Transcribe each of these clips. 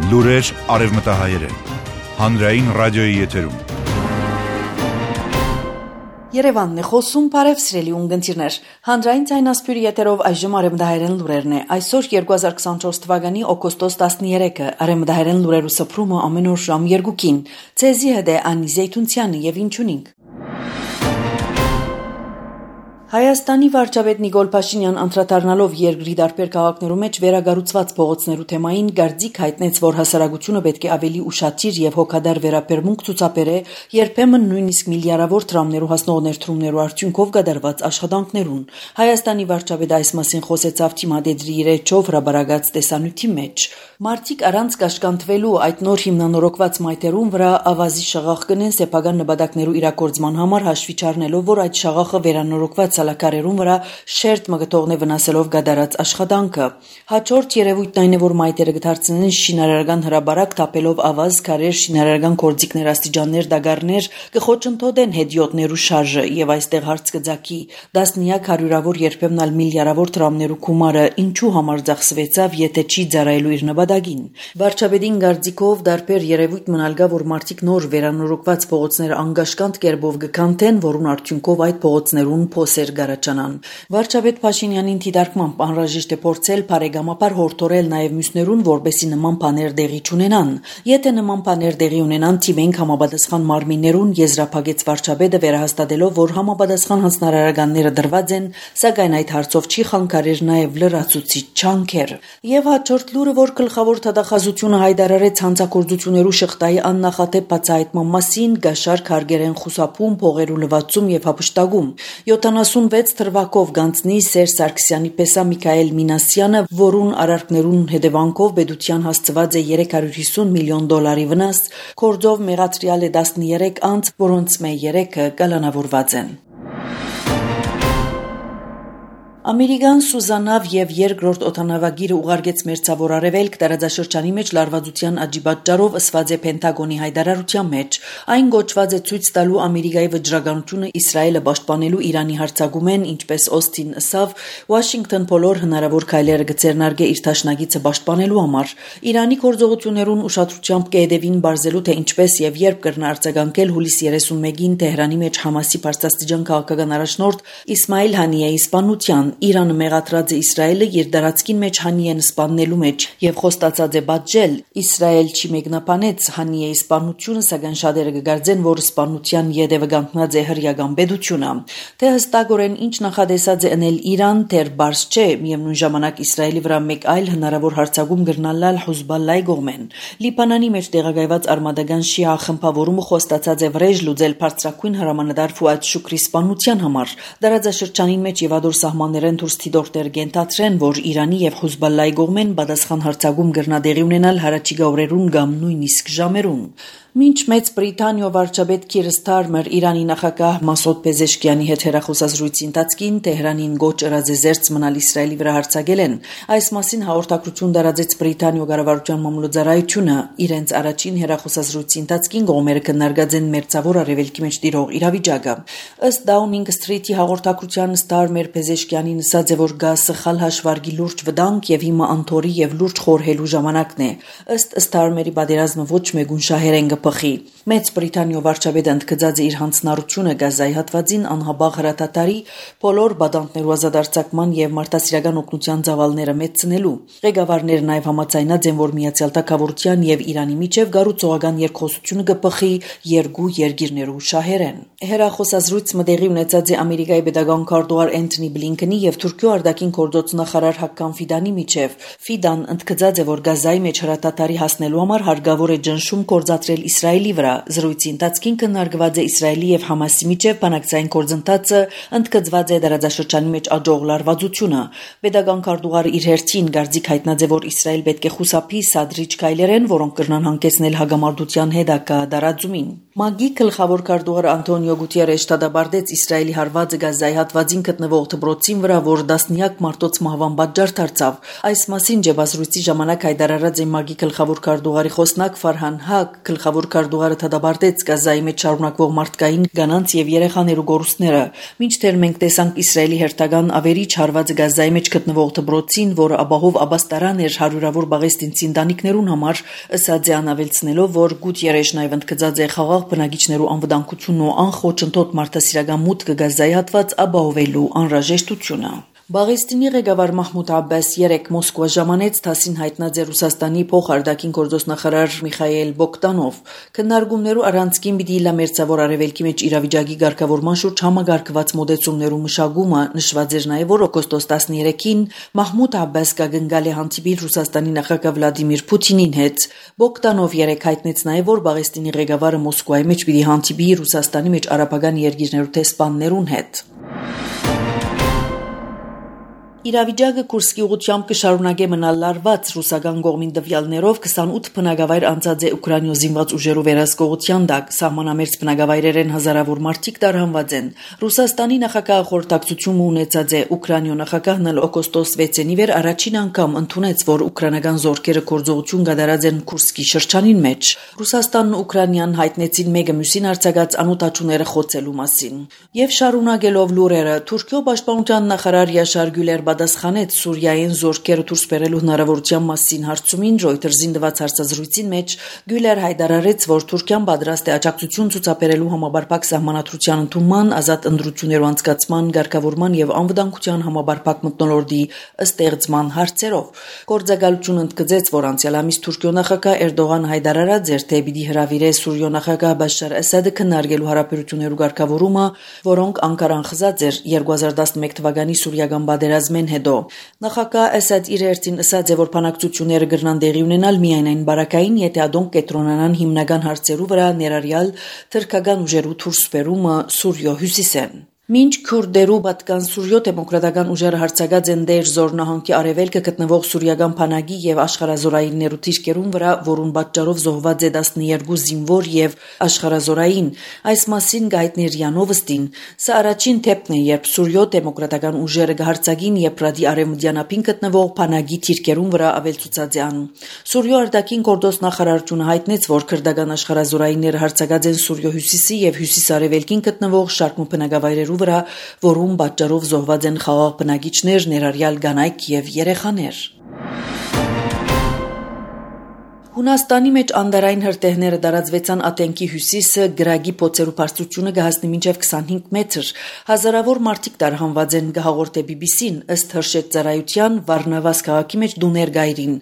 Լուրեր արևմտահայերեն, հանրային ռադիոյի եթերում։ Երևանն է խոսում, բարև սիրելի ունգընտիրներ, հանրային ձայնասփյուրի եթերով այժմ արևմտահայերեն լուրերն է, այսօր 2024 թվականի օգոստոս 13-ը, արևմտահայերեն լուրերու սփռումը ամեն օր ժամ 2-ին, ցեզի հետ է Անի Զեյթունցյանը եւ ինչունինք։ Հայաստանի վարչապետ Նիկոլ Փաշինյան անդրադառնալով երկրի տարբեր քաղաքներում մեջ վերագառուցված փողոցներու թեմային գարձիկ հայտնեց, որ հասարակությունը պետք է ավելի ուշադիր եւ հոգադար վերաբերմունք ցուցաբերե երբեմն նույնիսկ միլիարդավոր դրամներու հասնող ներդրումներու արդյունքով կատարված աշխատանքներուն։ Հայաստանի վարչապետը այս մասին խոսեցավ թիմադեդրի իր էջով հրաբարակած տեսանյութի մեջ։ Մարտիկ առանց կաշկանդվելու այդ նոր հիմնանորոգված մայթերուն վրա ավազի շաղախ կնեն սեփական նպատակներու իրագործման համար հաշվի չառնելով, որ այդ շաղախը վերանորոգված սալակարերուն վրա շերտ մգթողն է վնասելով գդարած աշխատանքը։ Հաջորդ երևույթն այն է, որ մայթերը կդարձնեն շինարարական հրաբարակ թափելով ավազ, քարեր, շինարարական գործիքներ, աստիճաններ, դագարներ, կխոչընդոտեն հետիոտներու շարժը եւ այստեղ հարց կձակի դասնյակ հարյուրավոր երբեմն ալ միլիարդավոր դրամներու գումարը ինչու համար ծախսվեցավ, եթե չի ծառայելու իր նպատակին։ Վարչապետին գարձիկով դարբեր երևույթ մնալգա, որ մարտիկ նոր վերանորոգված փողոցները անգաշկանդ կերպով կքանթեն, որուն արդյունքով այդ փողոցներուն փոսեր գարաճանան։ Վարչապետ Փաշինյանին դիտարկմամբ անհրաժեշտ է փորձել բարեկամաբար հորդորել նաև մյուսներուն, որպեսզի նման բաներ դեղի չունենան։ Եթե նման բաներ դեղի ունենան, թիմենք համապատասխան մարմիններուն եզրափակեց վարչապետը վերահաստատելով, որ համապատասխան հանձնարարականները դրված են, սակայն այդ հարցով չի խանգարեր նաև լրացուցիչ չանքեր։ Եվ հաջորդ լուրը, որ գլխավոր թադախազությունը հայտարարեց հանցագործություններու շղթայի աննախադեպ բացահայտման մասին, գաշարք հարգերեն խուսափում, փողերու լվացում եւ հափշտակում։ 76 թվակով գանցնի Սերժ Սարգսյանի պես Միքայել Մինասյանը, որուն արարքներուն հետևանքով պետության հասցված է 350 միլիոն դոլարի վնաս, կորձով մեղադրյալ է 13 անձ, որոնց մե 3-ը կալանավորված են։ Ամերիկան Սուզանավ եւ երկրորդ օդանավագիրը ուղարկեց մերձավոր արևելք տարածաշրջանի մեջ լարվածության աճի պատճառով ըսված է Պենտագոնի հայտարարության մեջ։ Այն գոչված է ցույց տալու Ամերիկայի վճռականությունը Իսրայելը պաշտպանելու Իրանի հարձակումեն, ինչպես Օստին ասավ, Վաշինգտոն բոլոր հնարավոր քայլերը կձեռնարկե իր դաշնակիցը պաշտպանելու համար։ Իրանի գործողություններուն ուշադրությամբ կհետևին բարձելու թե ինչպես եւ երբ կրնա արձագանքել հուլիսի 31-ին Թեհրանի մեջ Համասի բարձրաստիճան քաղաքական առաջնորդ Իսմայիլ Հանիեի սպանության։ Իրանը մեղադրած է Իսրայելը իր դարածքին մեջ Հանիեն սպաննելու մեջ եւ խոստացած է բաժել Իսրայել չի մեկնաբանեց Հանիեի սպանությունը, սակայն շատերը կգարձեն, որ սպանության յետևը կանգնած է հրեական պետությունը։ Թե հստակորեն ինչ նախադեсած է անել Իրան, դեռ բարձ չէ, միևնույն ժամանակ Իսրայելի վրա մեկ այլ հնարավոր հարձակում կրնալալ Հուզբալլայի կողմեն։ Լիբանանի մեջ տեղակայված արմատական շիա խմբավորումը խոստացած է վրեժ լուծել բարձրակույն հրամանատար Ֆուադ Շուկրի սպանության համար։ Դարաձաշրջանին մեջ եւ ադոր սահմաններ դուրս թիդորտեր գենտատրեն, որ Իրանի եւ Հուզբալլայի կողմեն պատասխան հարձակում կրնադեղի ունենալ հարաճիգա օրերուն կամ նույնիսկ ժամերուն։ Մինչ Մեծ Բրիտանիա վարչապետ Քիր Սթարմեր Իրանի նախագահ Մասուդ Պեզեշկյանի հետ հեռախոսազրույցի ընթացքին Թեհրանին գոչ ըրած է զերծ մնալ Իսրայելի վրա հարձակել են։ Այս մասին հաղորդակցություն տարածեց Բրիտանիա կառավարության մամուլոձարայությունը։ Իրենց առաջին հեռախոսազրույցի ընթացքին կողմերը քննարկած են մերձավոր արևելքի մեջ տիրող իրավիճակը։ Ըստ Downing Street-ի հաղորդակցության Սթարմեր Պեզեշկյանին ասաց է, որ գա սխալ հաշվարկի լուրջ վտանգ եւ հիմա անթորի եւ լուրջ խորհելու ժամանակն է։ Ըստ Սթարմերի պատերազմը ոչ մեկուն շահերեն կփխի։ Մեծ Բրիտանիա վարչապետը ընդգծած է իր հանձնառությունը Գազայի հատվածին անհաբաղ հրատատարի բոլոր բադանտներու ազատարձակման եւ մարդասիրական օգնության ծավալները մեծնելու։ Ղեկավարները նաեւ համաձայնած են, որ Միացյալ Թագավորության եւ Իրանի միջև գառուցողական երկխոսությունը կփխի երկու երկիրներու շահերեն։ Հերախոսազրույցը տեղի ունեցած է Ամերիկայի պետական քարտուղար Էնթոնի Բլինքենի եւ Թուրքիո արտաքին գործոց նախարար Հակկան Ֆիդանի միջև։ Ֆիդան ընդգծած է, որ Գազայի մեջ հրատատարի հասնելու համար հարկավոր է ճնշում գործադրել Իսրայելի վրա։ Զրույցի ընթացքին քննարկված է Իսրայելի եւ Համասի միջև բանակցային գործընթացը, ընդգծված է դարաձաշրջանի մեջ աճող լարվածությունը։ Պետական քարտուղարը իր հերթին գարձիկ հայտնած է, որ Իսրայել պետք է խուսափի սադրիչ քայլերեն, որոնք կրնան հանգեցնել հագամարտության հետագա դարաձումին։ ՄԱԳ-ի գլխավոր քարտուղար Անտոնիո Գուտիերեշը դադարեցրեց Իսրայելի հարվածը Գազայի հատվածին գտնվող դպրոցին վրա, որ դասնյակ մարդոց մահվան պատճառ դարձավ։ Այս մասին ջբազրույցի ժամանակ հայտարարած է ՄԱԳ-ի գլխավոր քարտուղարի խոսնակ Ֆարհան Հակ։ Գլխավոր քարտուղարը դադարեց Գազայի մեջ շարունակվող մարդկային, կանանց եւ երեխաներու գորուստները։ Մինչդեռ մենք տեսանք Իսրայելի հերթական ավերիչ հարվածը Գազայի մեջ գտնվող դպրոցին, որը ապահով աբաստարան էր հարյուրավոր պաղեստինցի ընտանիքներուն համար, ըստ անավելցնելով, որ Գուտիերեշն այլ ընդգծած է խաղաղ բնակիչներու անվտանգությունն ու անխոչընդոտ մարդասիրական մուտքը Գազայի հատված ապահովելու անհրաժեշտությունը։ Պաղեստինի ղեկավար Մահմուդ Աբբաս երեկ Մոսկվա ժամանեց դասին հայտնած է Ռուսաստանի փոխարդակին գործոստնախարար Միխայել Բոգդանով։ Քննարկումներու առանցքին պիտի իլա մերձավոր արևելքի մեջ իրավիճակի ղեկավարման շուրջ համագարկված մոդեցումներու մշակումը նշված էր նաև, որ օգոստոս 13-ին Մահմուդ Աբբաս կգնգալ է հանդիպիլ Ռուսաստանի նախագահ Վլադիմիր Պուտինին հետ։ Բոգդանով երեկ հայտնեց նաև, որ Պաղեստինի ղեկավարը Մոսկվայի մեջ պիտի հանդիպի Ռուսաստանի մեջ արաբական երկիրներու տեսփաններուն հետ։ Իրավիճակը Կուրսկի ուղղությամբ կշարունակե մնալ լարված ռուսական կողմին տվյալներով 28 բնակավայր անցած է Ուկրաինո զինված ուժերու վերահսկողության տակ, սահմանամերձ բնակավայրերեն հազարավոր մարդիկ տարհանված են։ Ռուսաստանի նախագահը խորհրդակցություն ունեցած է Ուկրաինո նախագահն օգոստոս 6-ին վեր առաջին անգամ ընդունեց, որ ուկրաինական զորքերը գործողություն կատարած են Կուրսկի շրջանին մեջ։ Ռուսաստանն ու Ուկրաինան հայտնեցին մեկը մյուսին արձակած անօթաչուները խոցելու մասին։ Եվ շարունակելով լուրերը, Թուրքիո պաշտպանության նախարար Յաշար Գյուլեր պատասխանեց Սուրիայեն զորքերը դուրս բերելու հնարավորության մասին հարցումին Reuters-ին տված հարցազրույցին մեջ Գյուլեր հայտարարեց, որ Թուրքիան պատրաստ է աջակցություն ցուցաբերելու համապարփակ սահմանադրության ընդունման, ազատ ընտրություններու անցկացման, ղեկավարման եւ անվտանգության համապարփակ մթնոլորտի ստեղծման հարցերով։ Գործակալությունը ընդգծեց, որ անցյալ ամիս Թուրքիո նախագահ Էրդողանը հայտարարած էր, թե պիտի հրավիրե Սուրիո նախագահ Բաշար Ասադը քննարկելու հարաբերություններու ղեկավարումը, որոնք Անկարան խզած էր 2011 թվականի սուրիական պատերազմին հետո նախագահ Ասադ իր հերթին ասաց է, որ բանակցությունները կգրնան տեղի ունենալ միայն այն բարակային, եթե ադոնք կենտրոնանան հիմնական հարցերու վրա, ներառյալ թուրքական ուժերու դուրս բերումը Սուրիո հյուսիսեն։ Մինչ քուրդերու պատկան Սուրիո դեմոկրատական ուժերը հարձակած են Դեր Զոր նահանգի արևելքը գտնվող սուրիական բանակի եւ աշխարհազորայիններու թիրքերուն վրա, որուն պատճառով զոհված է 12 զինվոր եւ աշխարհազորային, այս մասին գայթներ Յանովստին, սա առաջին թեփն է, երբ Սուրիո դեմոկրատական ուժերը կհարձակին Եփրատի արևմտյան ափին գտնվող բանակի թիրքերուն վրա ավելցուցած են։ Սուրիո արտաքին գործոս նախարարությունը հայտնեց, որ քրդական աշխարհազորայինները հարձակած են Սուրիո հյուսիսի եւ հյուսիսարևելքին գտնվող շարք բնակավայրերու վրա, որում պատճառով զոհված են խաղաղ բնակիչներ, ներառյալ կանայք եւ երեխաներ։ Հունաստանի մեջ անդարային հրտեհները տարածվեցան Աթենքի հյուսիսը, գրագի փոցերու բարձրությունը կհասնի մինչև 25 մետր։ Հազարավոր մարդիկ տարհանված են, կհաղորդե BBC-ն, ըստ հրշեջ ծառայության Վարնավաս քաղաքի մեջ դուներ գայրին։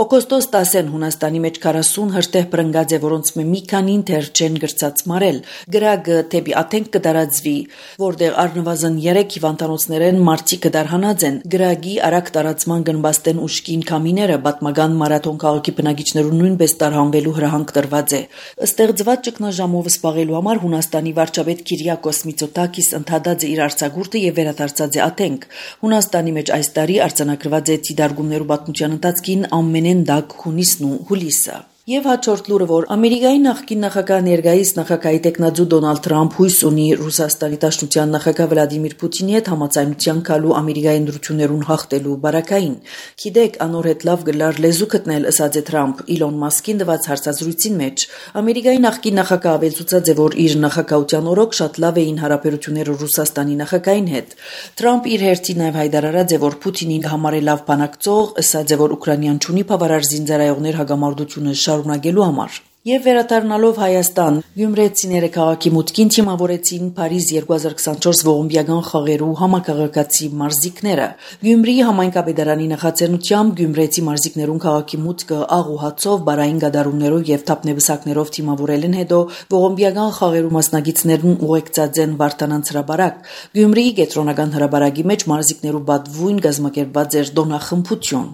Օգոստոս 10-ին Հունաստանի մեջ 40 հրտեհ բռնկած է, որոնց մի քանին դեռ չեն գրծած մարել։ Գրագը թեպի Աթենք կդարածվի, որտեղ առնվազն 3 հիվանդանոցներեն մարդիկ կդարհանած են։ Գրագի արագ տարածման գնբաստեն ուշքին կամիները պատմական մարաթոն քաղաքի բնակիչներուն նույնպես տարհանվելու հրահանգ տրված է։ Ստեղծված ճգնաժամով սպաղելու համար Հունաստանի վարչապետ Կիրիակոս Միցոտակիս ընդհատած է իր արձակուրդը եւ վերադարձած է Աթենք։ Հունաստանի մեջ այս տարի արձանագրված է դիդարգումներու պատմության ընթացքին ամենեն դակ հունիսն ու հուլիսը։ Եվ հաջորդ լուրը, որ Ամերիկայի նախկին նախագահ ներկայիս նախագահի տեխնացու Դոնալդ Թրամփ հույս ունի Ռուսաստանի Դաշնության նախագահ Վլադիմիր Պուտինի հետ համաձայնության գալու Ամերիկայի ընտրություններուն հաղթելու բարակային։ Գիտեք, անոր հետ լավ գլար լեզու գտնել, ըսած է Թրամփ Իլոն Մասկին տված հարցազրույցին մեջ։ Ամերիկայի նախկին նախագահը ավելցուցած է, որ իր նախագահության օրոք շատ լավ էին հարաբերությունները Ռուսաստանի նախագահին հետ։ Թրամփ իր հերթին նաև հայտարարած է, որ Պուտինին համարե լավ բանակցող, ըսած է, որ Ուկրաինան չունի բավարար զինծառայողներ հագամարտությունը շարունակելու համար։ Եվ վերադառնալով Հայաստան, գյումրեցիները քաղաքի մուտքին թիմավորեցին Փարիզ 2024 ողոմբիական խաղերու համակարգացի մարզիկները։ Գյումրիի համայնքապետարանի նախաձեռնությամբ գյումրեցի մարզիկներուն քաղաքի մուտքը աղ ու հացով, բարային գդարումներով եւ թափնեբսակներով թիմավորելն հետո ողոմբիական խաղերու մասնակիցներուն ուղեկցած են Վարդանանց հրաբարակ։ Գյումրիի կենտրոնական հրաբարակի մեջ մարզիկներու բադվույն գազմակերպված էր դոնախմբություն։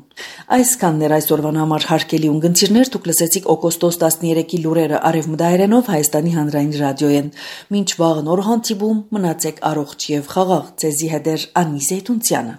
Այսքանն այսօրվան համար հարգելի ունգընտիրներ, դուք լսեցիք օգոստոս 13-ի լուրերը արևմտահայերենով Հայաստանի հանրային ռադիոյեն։ Մինչ վաղ նոր հանդիպում, մնացեք առողջ եւ խաղաղ։ Ձեզի հետ է Անի Զեյթունցյանը։